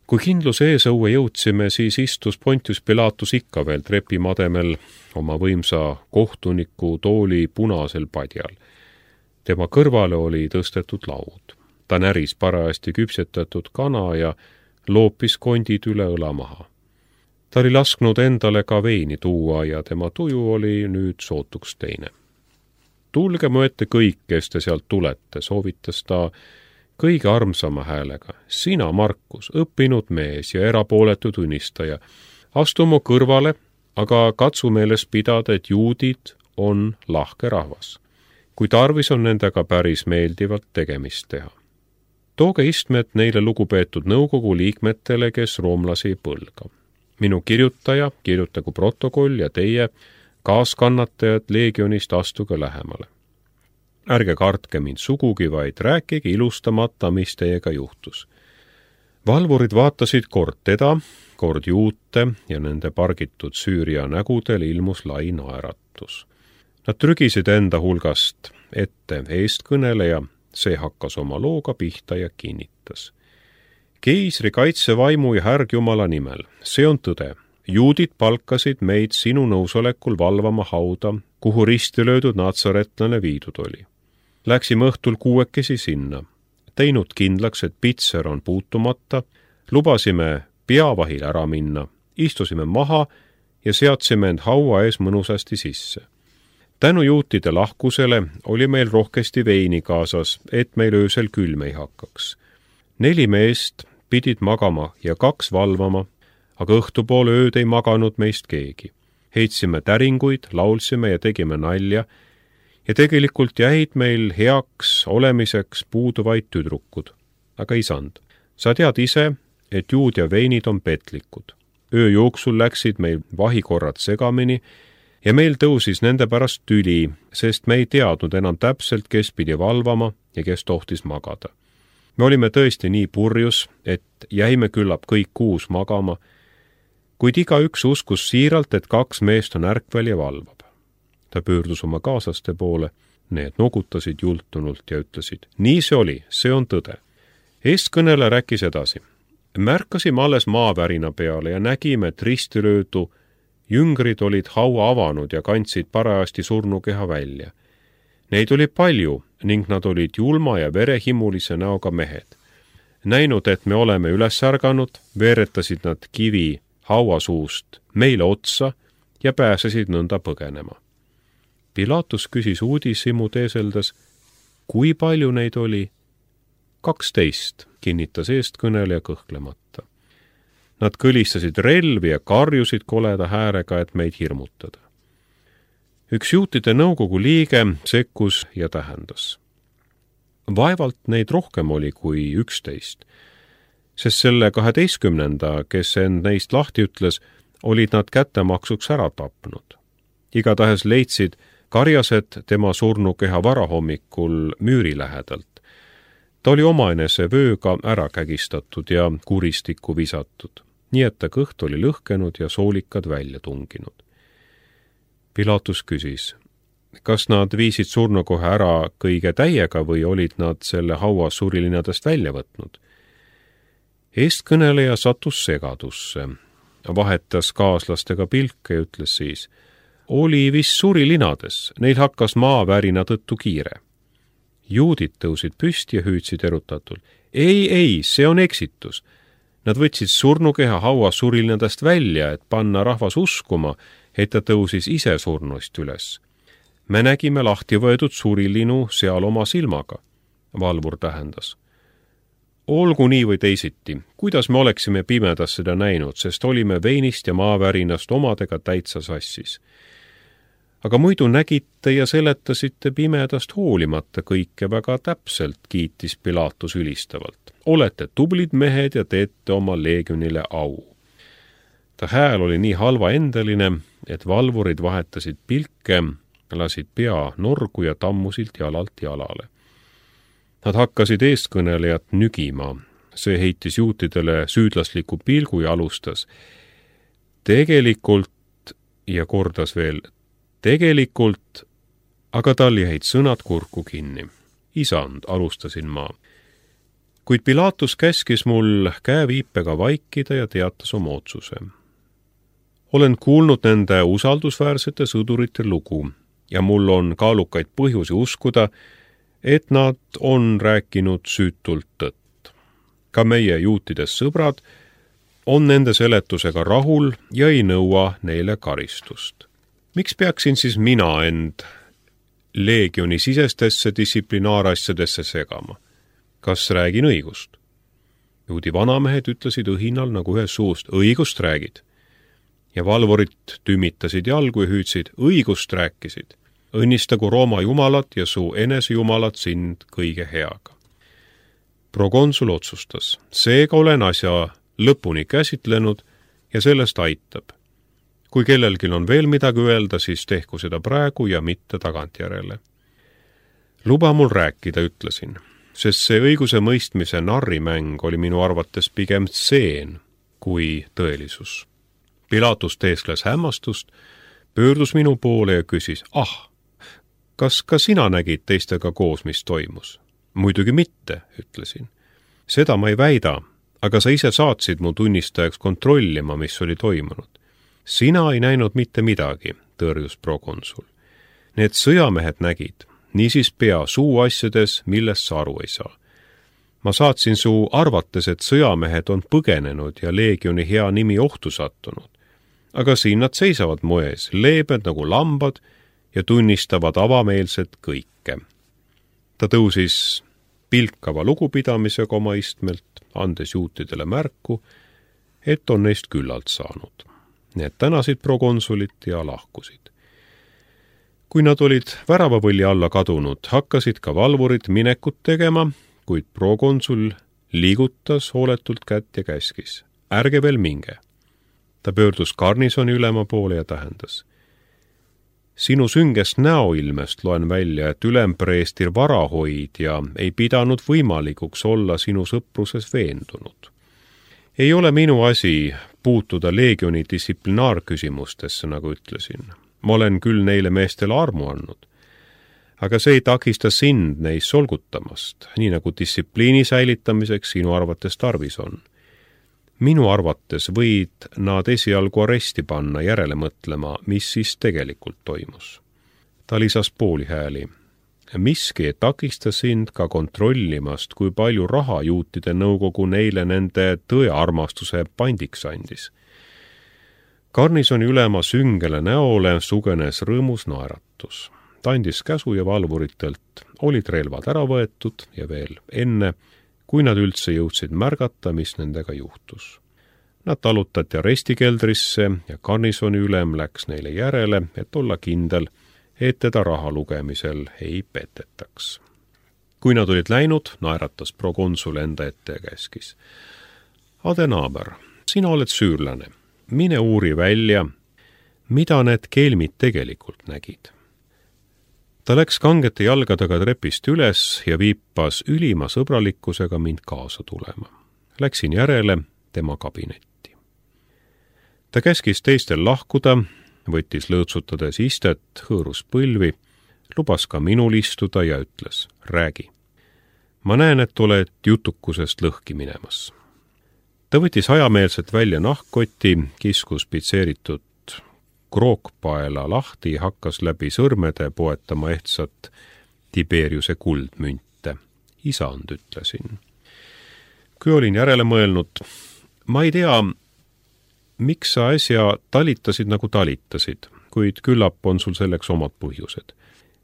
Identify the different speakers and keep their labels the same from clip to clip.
Speaker 1: Kui kindluse eesõue jõudsime, siis istus Pontius Pilatus ikka veel trepimademel oma võimsa kohtuniku tooli punasel padjal. Tema kõrvale oli tõstetud laud. Ta näris parajasti küpsetatud kana ja loopis kondid üle õla maha. Ta oli lasknud endale ka veini tuua ja tema tuju oli nüüd sootuks teine. Tulge mu ette kõik, kes te sealt tulete, soovitas ta kõige armsama häälega. Sina, Markus, õppinud mees ja erapooletu tunnistaja, astu mu kõrvale, aga katsu meeles pidada, et juudid on lahke rahvas. Kui tarvis on nendega päris meeldivalt tegemist teha. Tooge istmed neile lugupeetud nõukogu liikmetele, kes roomlasi ei põlga. Minu kirjutaja, kirjutagu protokoll ja teie, kaaskannatajad leegionist, astuge lähemale. Ärge kartke mind sugugi, vaid rääkige ilustamata, mis teiega juhtus. Valvurid vaatasid kord teda, kord juute ja nende pargitud Süüria nägudel ilmus lai naeratus. Nad trügisid enda hulgast ette eestkõneleja, see hakkas oma looga pihta ja kinnitas. Keisri kaitsevaimu ja härgjumala nimel, see on tõde. Juudid palkasid meid sinu nõusolekul valvama hauda, kuhu risti löödud natsaretlane viidud oli. Läksime õhtul 6 sinna, teinud kindlaks, et pitser on puutumata, lubasime peavahil ära minna, istusime maha ja seadsime end haua ees mõnusasti sisse. Tänu juutide lahkusele oli meil rohkesti veini kaasas, et meil öösel külm ei hakkaks. 4 meest pidid magama ja 2 valvama, aga õhtupoole ööd ei maganud meist keegi. Heitsime täringuid, laulsime ja tegime nalja ja tegelikult jäid meil heaks olemiseks puuduvaid tüdrukud. Aga isand, sa tead ise, et juud ja veinid on petlikud. Öö jooksul läksid meil vahikorrad segamini ja meil tõusis nende pärast tüli, sest me ei teadnud enam täpselt, kes pidi valvama ja kes tohtis magada. Me olime tõesti nii purjus, et jäime küllap kõik 6 magama, kuid igaüks uskus siiralt, et 2 meest on ärkvel ja valvab. Ta pöördus oma kaaslaste poole, need nogutasid jultunult ja ütlesid, nii see oli, see on tõde. Eestkõnele rääkis edasi. Märkasime alles maavärina peale ja nägime, et ristilöödu jüngrid olid haua avanud ja kandsid parajasti surnukeha välja. Neid oli palju ning nad olid julma ja verehimulise näoga mehed. Näinud, et me oleme üles ärganud, veeretasid nad kivi hauasuust meile otsa ja pääsesid nõnda põgenema. Pilatus küsis uudishimu teeseldes, kui palju neid oli? 12, kinnitas eestkõneleja kõhklemata. Nad kõlistasid relvi ja karjusid koleda häärega, et meid hirmutada. Üks juutide nõukogu liige sekkus ja tähendas. Vaevalt neid rohkem oli kui 11, sest selle 12, kes end neist lahti ütles, olid nad kättemaksuks ära tapnud. Igatahes leidsid karjased tema surnukeha varahommikul müüri lähedalt. Ta oli omaenese vööga ära kägistatud ja kuristikku visatud, nii et ta kõht oli lõhkenud ja soolikad välja tunginud. Pilatus küsis, kas nad viisid surnukoha ära kõige täiega või olid nad selle haua surilinadest välja võtnud? Eestkõneleja sattus segadusse, vahetas kaaslastega pilke ja ütles siis, oli vist surilinades, neil hakkas maavärina tõttu kiire. Juudid tõusid püsti ja hüüdsid erutatult. Ei, see on eksitus. Nad võtsid surnukeha haua surilinadest välja, et panna rahvas uskuma, et ta tõusis ise surnuist üles. Me nägime lahti võetud surilinu seal oma silmaga, valvur tähendas. Olgu nii või teisiti, kuidas me oleksime pimedas seda näinud, sest olime veinist ja maavärinast omadega täitsa sassis. Aga muidu nägite ja seletasite pimedast hoolimata kõike väga täpselt, kiitis Pilatus ülistavalt. Olete tublid mehed ja teete oma leegionile au. Ta hääl oli nii halvaendeline, et valvurid vahetasid pilke, lasid pea norgu ja tammusilt jalalt jalale. Nad hakkasid eestkõnelejat nügima. See heitis juutidele süüdlasliku pilgu ja alustas. Tegelikult, ja kordas veel, tegelikult, aga tal jäid sõnad kurku kinni. Isand, alustasin ma. Kuid Pilatus käskis mul käeviipega vaikida ja teatas oma otsuse. Olen kuulnud nende usaldusväärsete sõdurite lugu ja mul on kaalukaid põhjusi uskuda, et nad on rääkinud süütult tõtt. Ka meie juutidest sõbrad on nende seletusega rahul ja ei nõua neile karistust. Miks peaksin siis mina end leegioni sisestesse distsiplinaarasjadesse segama? Kas räägin õigust? Juudi vanamehed ütlesid õhinal nagu ühes suust, õigust räägid. Ja valvurid tümitasid jalgu ja hüüdsid, õigust rääkisid. Õnnistagu Rooma jumalat ja su enesejumalat sind kõige heaga. Prokonsul otsustas, seega olen asja lõpuni käsitlenud ja sellest aitab. Kui kellelgi on veel midagi öelda, siis tehku seda praegu ja mitte tagantjärele. Luba mul rääkida, ütlesin, sest see õiguse mõistmise narrimäng oli minu arvates pigem tseen kui tõelisus. Pilatus teeskles hämmastust, pöördus minu poole ja küsis, kas ka sina nägid teistega koos, mis toimus? Muidugi mitte, ütlesin. Seda ma ei väida, aga sa ise saatsid mu tunnistajaks kontrollima, mis oli toimunud. Sina ei näinud mitte midagi, tõrjus prokonsul. Need sõjamehed nägid, niisiis pea suu asjades, millest sa aru ei saa. Ma saatsin su arvates, et sõjamehed on põgenenud ja leegioni hea nimi ohtu sattunud. Aga siin nad seisavad moes, leebed nagu lambad ja tunnistavad avameelselt kõike. Ta tõusis pilkava lugupidamisega oma istmelt, andes juutidele märku, et on neist küllalt saanud. Need tänasid prokonsulit ja lahkusid. Kui nad olid väravavõlli alla kadunud, hakkasid ka valvurid minekut tegema, kuid prokonsul liigutas hooletult kätt ja käskis. Ärge veel minge. Ta pöördus garnisoni ülema poole ja tähendas. Sinu süngest näoilmest loen välja, et ülempreestir varahoidja ei pidanud võimalikuks olla sinu sõpruses veendunud. Ei ole minu asi puutuda leegioni distsiplinaarküsimustesse, nagu ütlesin. Ma olen küll neile meestele armu andnud. Aga see ei takista sind neis solgutamast, nii nagu distsipliini säilitamiseks sinu arvates tarvis on. Minu arvates võid nad esialgu aresti panna järele mõtlema, mis siis tegelikult toimus. Ta lisas pooli hääli. Miski ei takista sind ka kontrollimast, kui palju raha juutide nõukogu neile nende tõearmastuse pandiks andis. Garnisoni ülema süngele näole sugenes rõõmus naeratus. Ta andis käsu ja valvuritelt olid relvad ära võetud ja veel enne, kui nad üldse jõudsid märgata, mis nendega juhtus. Nad talutati arestikeldrisse ja garnisoni ülem läks neile järele, et olla kindel, et teda raha lugemisel ei petetaks. Kui nad olid läinud, naeratas prokonsul enda ette ja käskis. Adenaaber, sina oled süürlane. Mine uuri välja, mida need kelmid tegelikult nägid. Ta läks kangete jalgadega trepist üles ja viipas ülima sõbralikkusega mind kaasa tulema. Läksin järele tema kabinetti. Ta käskis teistel lahkuda, võttis lõõtsutades istet, hõõrus põlvi, lubas ka minul istuda ja ütles, räägi. Ma näen, et oled jutukusest lõhki minemas. Ta võttis hajameelselt välja nahkkoti, kiskus pitseeritud krookpaela lahti, hakkas läbi sõrmede poetama ehtsat Tiberiuse kuldmünte. Isand, ütlesin. Kui olin järele mõelnud, ma ei tea, miks sa äsja talitasid nagu talitasid, kuid küllap on sul selleks omad põhjused.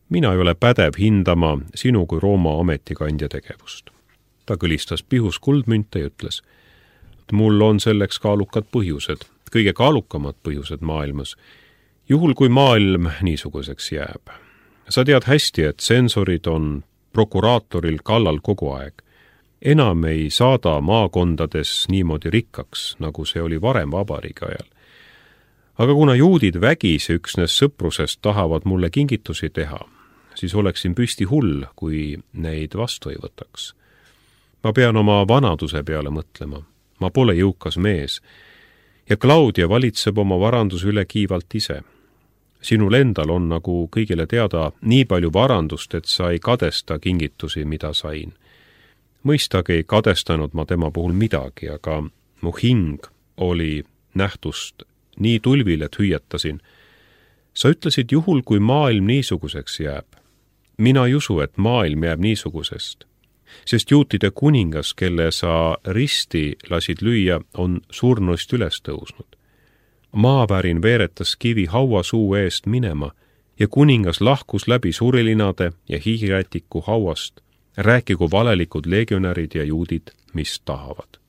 Speaker 1: Mina ei ole pädev hindama sinu kui Rooma ametikandja tegevust. Ta kõlistas pihus kuldmünte ja ütles, et mul on selleks kaalukad põhjused, kõige kaalukamad põhjused maailmas, juhul kui maailm niisuguseks jääb. Sa tead hästi, et sensorid on prokuraatoril kallal kogu aeg. Enam ei saada maakondades niimoodi rikkaks, nagu see oli varem vabariigi ajal. Aga kuna juudid vägisi üksnes sõprusest tahavad mulle kingitusi teha, siis oleksin püsti hull, kui neid vastu ei võtaks. Ma pean oma vanaduse peale mõtlema. Ma pole jõukas mees ja Claudia valitseb oma varanduse üle kiivalt ise. Sinul endal on nagu kõigile teada nii palju varandust, et sa ei kadesta kingitusi, mida sain. mõistagi ei kadestanud ma tema puhul midagi, aga mu hing oli nähtust nii tulvil, et hüüatasin. Sa ütlesid juhul, kui maailm niisuguseks jääb. Mina ei usu, et maailm jääb niisugusest, sest juutide kuningas, kelle sa risti lasid lüüa, on surnuist üles tõusnud. Maavärin veeretas kivi haua suu eest minema ja kuningas lahkus läbi surilinade ja hiirätiku hauast, rääkigu valelikud legionärid ja juudid, mis tahavad.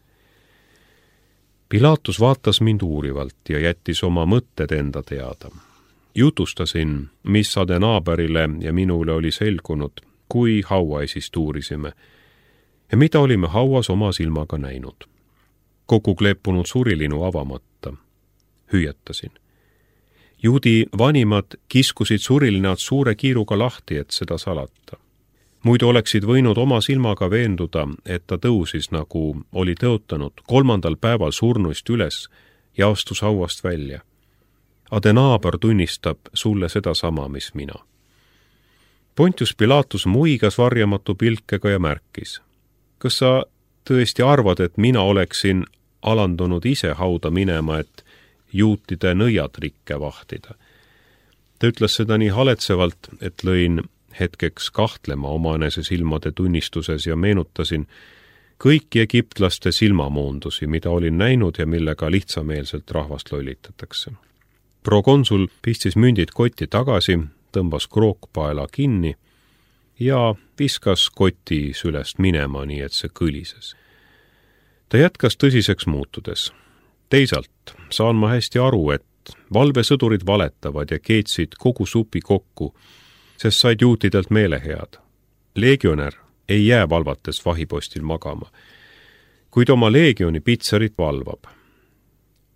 Speaker 1: Pilaatus vaatas mind uurivalt ja jättis oma mõtted enda teada. Jutustasin, mis Adenaaberile ja minule oli selgunud, kui hauaesist uurisime ja mida olime hauas oma silmaga näinud. Kogu kleepunud surilinu avamata. Hüüatasin. Juudi vanimad kiskusid surilinad suure kiiruga lahti, et seda salata. Muidu oleksid võinud oma silmaga veenduda, et ta tõusis, nagu oli tõotanud, 3. päeval surnuist üles ja astus hauast välja. Adenaaber tunnistab sulle sedasama, mis mina. Pontius Pilaatus muigas varjamatu pilkega ja märkis. Kas sa tõesti arvad, et mina oleksin alandunud ise hauda minema, et juutide nõiatrikke vahtida? Ta ütles seda nii haletsevalt, et lõin hetkeks kahtlema omanese silmade tunnistuses ja meenutasin kõiki egiptlaste silmamoondusi, mida olin näinud ja millega lihtsameelselt rahvast lollitatakse. Prokonsul pistis mündid kotti tagasi, tõmbas krookpaela kinni ja viskas koti sülest minema, nii et see kõlises. Ta jätkas tõsiseks muutudes. Teisalt saan ma hästi aru, et valvesõdurid valetavad ja keetsid kogu supi kokku, sest said juutidelt meelehead. Legionär ei jää valvates vahipostil magama, kuid oma leegioni pitserit valvab.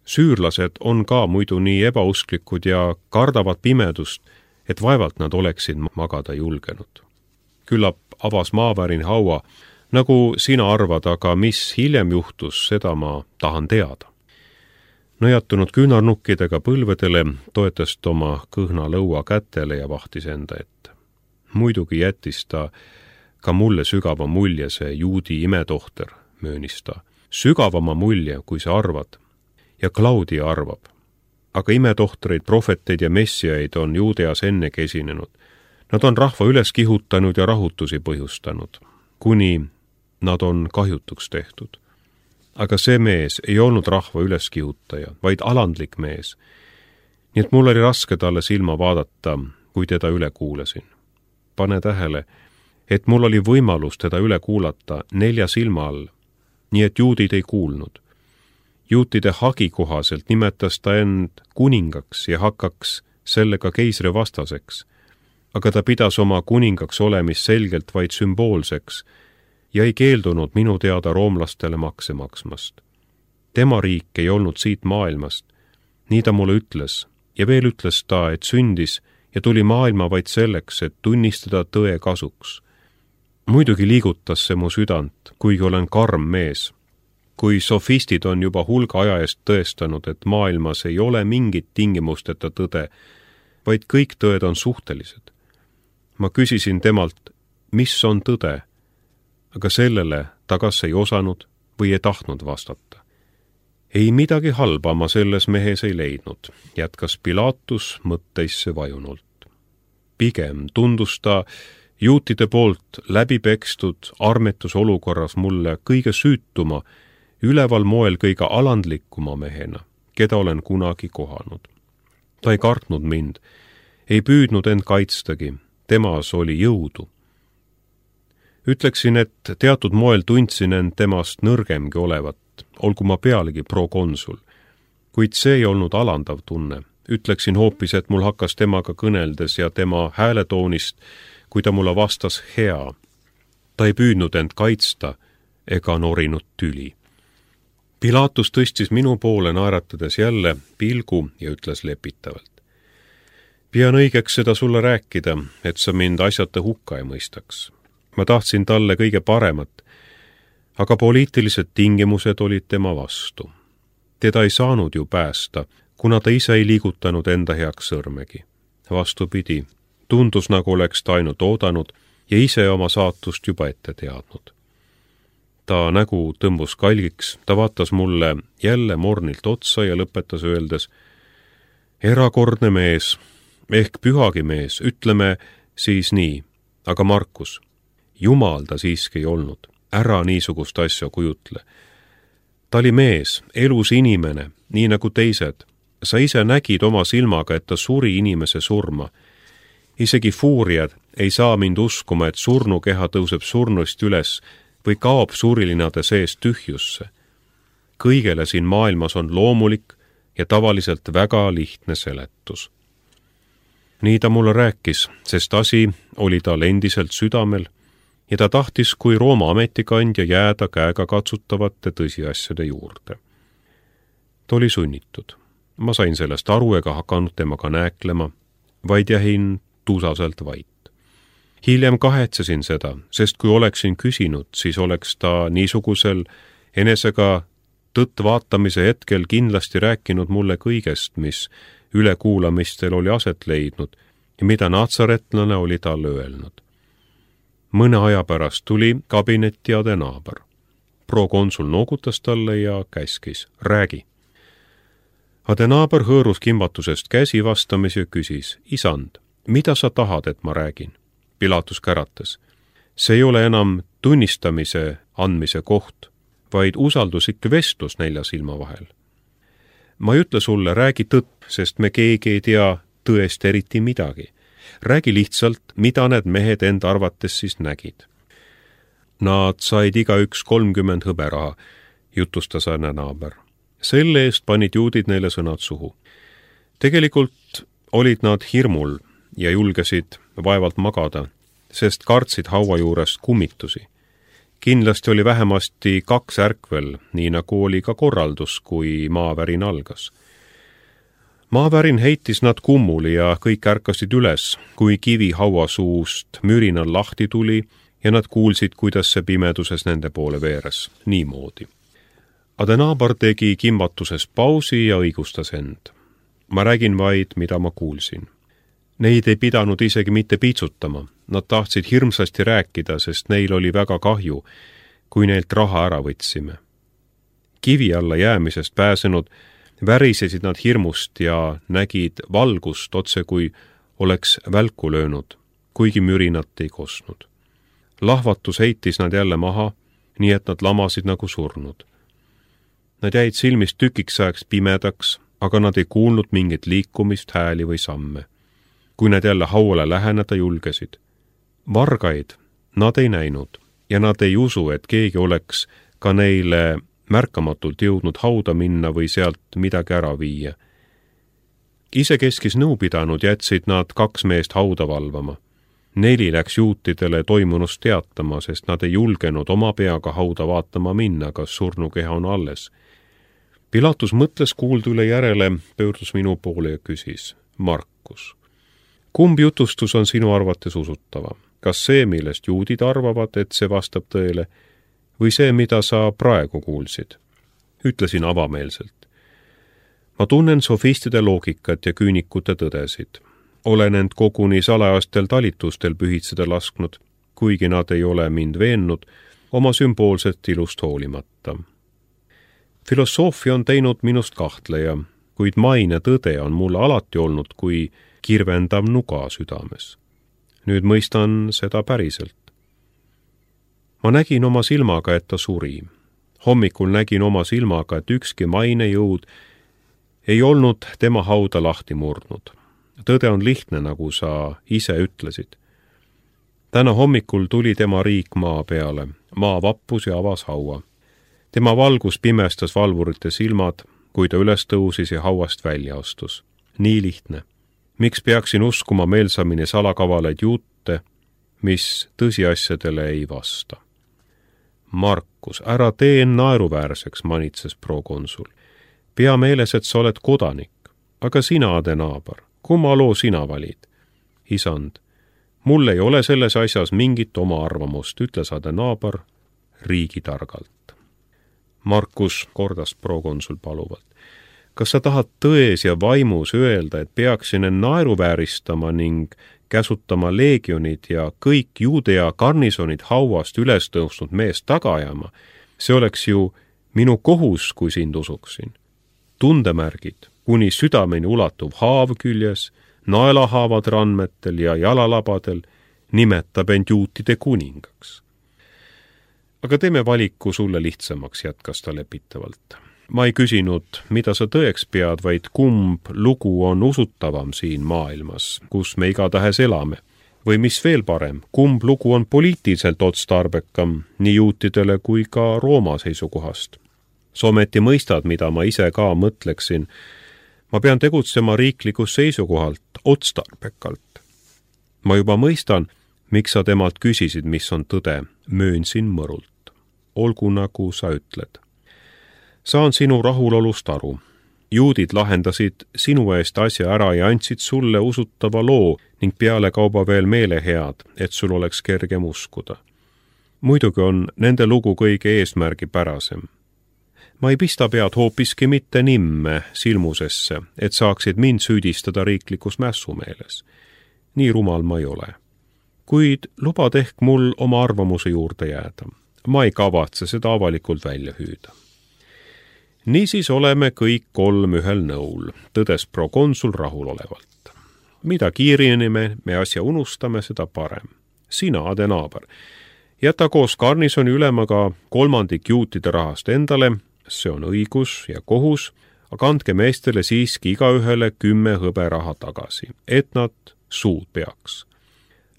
Speaker 1: Süürlased on ka muidu nii ebausklikud ja kardavad pimedust, et vaevalt nad oleksid magada julgenud. Küllap avas maavärin haua, nagu sina arvad, aga mis hiljem juhtus, seda ma tahan teada. Nõjatunud küünarnukkidega põlvedele toetas oma kõhna lõua kätele ja vahtis enda ette. Muidugi jättis ta ka mulle sügava mulje see juudi imetohter, möönis ta. Sügavama mulje, kui sa arvad. Ja Claudia arvab. Aga imetohtreid, prohveteid ja messiaid on Juudeas ennegi esinenud. Nad on rahva üles kihutanud ja rahutusi põhjustanud, kuni nad on kahjutuks tehtud. Aga see mees ei olnud rahva üleskihutaja, vaid alandlik mees. Nii et mul oli raske talle silma vaadata, kui teda üle kuulasin. Pane tähele, et mul oli võimalus teda üle kuulata 4 silma all, nii et juudid ei kuulnud. Juutide hagi kohaselt nimetas ta end kuningaks ja hakkaks sellega keisri vastaseks, aga ta pidas oma kuningaks olemist selgelt vaid sümboolseks ja ei keeldunud minu teada roomlastele makse maksmast. Tema riik ei olnud siit maailmast, nii ta mulle ütles, ja veel ütles ta, et sündis ja tuli maailma vaid selleks, et tunnistada tõe kasuks. Muidugi liigutas see mu südant, kuigi olen karm mees. Kui sofistid on juba hulga aja eest tõestanud, et maailmas ei ole mingit tingimusteta tõde, vaid kõik tõed on suhtelised. Ma küsisin temalt, mis on tõde, aga sellele ta kas ei osanud või ei tahtnud vastata. Ei midagi halba ma selles mehes ei leidnud, jätkas Pilaatus mõtteisse vajunult. Pigem tundus ta juutide poolt läbipekstud armetusolukorras mulle kõige süütuma, üleval moel kõige alandlikuma mehena, keda olen kunagi kohanud. Ta ei kartnud mind, ei püüdnud end kaitstagi, temas oli jõudu. Ütleksin, et teatud moel tundsin end temast nõrgemgi olevat, olgu ma pealegi prokonsul, kuid see ei olnud alandav tunne. Ütleksin hoopis, et mul hakkas temaga kõneldes ja tema hääletoonist, kui ta mulle vastas hea. Ta ei püüdnud end kaitsta ega norinud tüli. Pilaatus tõstis minu poole naeratades jälle pilgu ja ütles lepitavalt. Pean õigeks seda sulle rääkida, et sa mind asjata hukka ei mõistaks. Ma tahtsin talle kõige paremat, aga poliitilised tingimused olid tema vastu. Teda ei saanud ju päästa, kuna ta ise ei liigutanud enda heaks sõrmegi. Vastupidi, tundus nagu oleks ta ainult oodanud ja ise oma saatust juba ette teadnud. Ta nägu tõmbus kalgiks, ta vaatas mulle jälle mornilt otsa ja lõpetas öeldes: erakordne mees, ehk pühagi mees, ütleme siis nii, aga Markus, jumal ta siiski ei olnud, ära niisugust asja kujutle. Ta oli mees, elus inimene, nii nagu teised. Sa ise nägid oma silmaga, et ta suri inimese surma. Isegi fuuriad ei saa mind uskuma, et surnukeha tõuseb surnust üles või kaob surilinade sees tühjusse. Kõigele siin maailmas on loomulik ja tavaliselt väga lihtne seletus. Nii ta mulle rääkis, sest asi oli tal endiselt südamel ja ta tahtis kui Rooma ametikandja jääda käega katsutavate tõsiasjade juurde. Ta oli sunnitud. Ma sain sellest aru ega hakanud temaga nääklema, vaid jäin tuusaselt vait. Hiljem kahetsesin seda, sest kui oleksin küsinud, siis oleks ta niisugusel enesega tõtt vaatamise hetkel kindlasti rääkinud mulle kõigest, mis ülekuulamistel oli aset leidnud ja mida natsaretlane oli talle öelnud. Mõne aja pärast tuli kabinetti adenaaber. Prokonsul noogutas talle ja käskis: räägi. Adenaaber hõõrus kimbatusest käsi vastamis ja küsis: isand, mida sa tahad, et ma räägin? Pilatus käratas: see ei ole enam tunnistamise andmise koht, vaid usalduslik vestlus nelja silma vahel. Ma ei ütle sulle, räägi tõtt, sest me keegi ei tea tõest eriti midagi. Räägi lihtsalt, mida need mehed enda arvates siis nägid. Nad said igaüks 30 hõberaha, jutustas adenaaber. Selle eest panid juudid neile sõnad suhu. Tegelikult olid nad hirmul ja julgesid vaevalt magada, sest kartsid haua juurest kummitusi. Kindlasti oli vähemasti 2 ärkvel, nii nagu oli ka korraldus, kui maavärin algas. Maavärin heitis nad kummuli ja kõik ärkasid üles, kui kivi hauasuust mürinal lahti tuli ja nad kuulsid, kuidas see pimeduses nende poole veeres. Niimoodi. Adenaaber tegi kimbatuses pausi ja õigustas end. Ma räägin vaid, mida ma kuulsin. Neid ei pidanud isegi mitte piitsutama. Nad tahtsid hirmsasti rääkida, sest neil oli väga kahju, kui neilt raha ära võtsime. Kivi alla jäämisest pääsenud värisesid nad hirmust ja nägid valgust otse kui oleks välku löönud, kuigi mürinat ei kostnud. Lahvatus heitis nad jälle maha, nii et nad lamasid nagu surnud. Nad jäid silmist tükiks ajaks pimedaks, aga nad ei kuulnud mingit liikumist, hääli või samme. Kui nad jälle hauale läheneda julgesid. Vargaid nad ei näinud ja nad ei usu, et keegi oleks ka neile märkamatult jõudnud hauda minna või sealt midagi ära viia. Isekeskis nõu pidanud jätsid nad 2 meest hauda valvama. 4 läks juutidele toimunust teatama, sest nad ei julgenud oma peaga hauda vaatama minna, kas surnukeha on alles. Pilatus mõtles kuuldu üle järele, pöördus minu poole ja küsis: Markus, kumb jutustus on sinu arvates usutava? Kas see, millest juudid arvavad, et see vastab tõele, või see, mida sa praegu kuulsid? Ütlesin avameelselt. Ma tunnen sofistide loogikat ja küünikute tõdesid. Olen end koguni salajastel talitustel pühitseda lasknud, kuigi nad ei ole mind veennud oma sümboolset ilust hoolimata. Filosoofia on teinud minust kahtleja, kuid maine tõde on mulle alati olnud kui kirvendav nuga südames. Nüüd mõistan seda päriselt. Ma nägin oma silmaga, et ta suri. Hommikul nägin oma silmaga, et ükski mainejõud ei olnud tema hauda lahti murdnud. Tõde on lihtne, nagu sa ise ütlesid. Täna hommikul tuli tema riik maa peale. Maa vappus ja avas haua. Tema valgus pimestas valvurite silmad, kui ta üles tõusis ja hauast välja astus. Nii lihtne. Miks peaksin uskuma meelsamini salakavalaid juute, mis tõsiasjadele ei vasta? Markus, ära tee naeruväärseks, manitses prokonsul. Pea meeles, et sa oled kodanik, aga sina, adenaaber, kumma loo sina valid? Isand, mul ei ole selles asjas mingit oma arvamust, ütles adenaaber riigitargalt. Markus, kordas prokonsul paluvalt. Kas sa tahad tões ja vaimus öelda, et peaksin end naeruvääristama ning käsutama leegionid ja kõik Juudea garnisonid hauast üles tõusnud meest taga ajama, See oleks ju minu kohus, kui sind usuksin. Tundemärgid, kuni südameni ulatuv haav küljes, naelahaavad randmetel ja jalalabadel, nimetab end juutide kuningaks. Aga teeme valiku sulle lihtsamaks, jätkas ta lepitavalt. Ma ei küsinud, mida sa tõeks pead, vaid kumb lugu on usutavam siin maailmas, kus me igatahes elame. Või mis veel parem, kumb lugu on poliitiliselt otstarbekam nii juutidele kui ka Rooma seisukohast. Sa ometi mõistad, mida ma ise ka mõtleksin. Ma pean tegutsema riiklikus seisukohalt otstarbekalt. Ma juba mõistan, miks sa temalt küsisid, mis on tõde, möönsin mõrult. Olgu nagu sa ütled. Saan sinu rahulolust aru. Juudid lahendasid sinu eest asja ära ja andsid sulle usutava loo ning pealekauba veel meelehead, et sul oleks kergem uskuda. Muidugi on nende lugu kõige eesmärgipärasem. Ma ei pista pead hoopiski mitte nimme silmusesse, et saaksid mind süüdistada riiklikus mässumeeles. Nii rumal ma ei ole. Kuid lubad ehk mul oma arvamuse juurde jääda. Ma ei kavatse seda avalikult välja hüüda. Niisiis oleme kõik kolm ühel nõul, tõdes prokonsul rahulolevalt. Mida kiiremini me asja unustame, seda parem. Sina, adenaaber, jäta koos garnisoni ülemaga 1/3 juutide rahast endale, see on õigus ja kohus, aga andke meestele siiski igaühele 10 hõberaha tagasi, et nad suud peaks.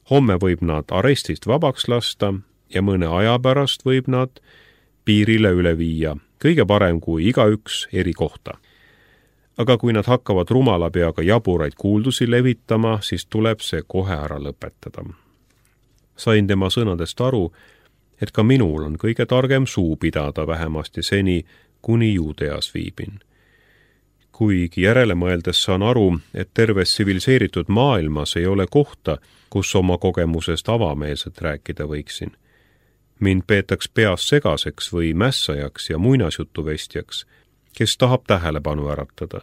Speaker 1: Homme võib nad arestist vabaks lasta ja mõne aja pärast võib nad piirile üle viia, kõige parem kui igaüks eri kohta. Aga kui nad hakkavad rumala peaga jaburaid kuuldusi levitama, siis tuleb see kohe ära lõpetada. Sain tema sõnadest aru, et ka minul on kõige targem suu pidada vähemasti seni, kuni Juudeas viibin. Kuigi järele mõeldes saan aru, et terves tsiviliseeritud maailmas ei ole kohta, kus oma kogemusest avameelselt rääkida võiksin. Mind peetaks peas segaseks või mässajaks ja muinasjutuvestjaks, kes tahab tähelepanu äratada.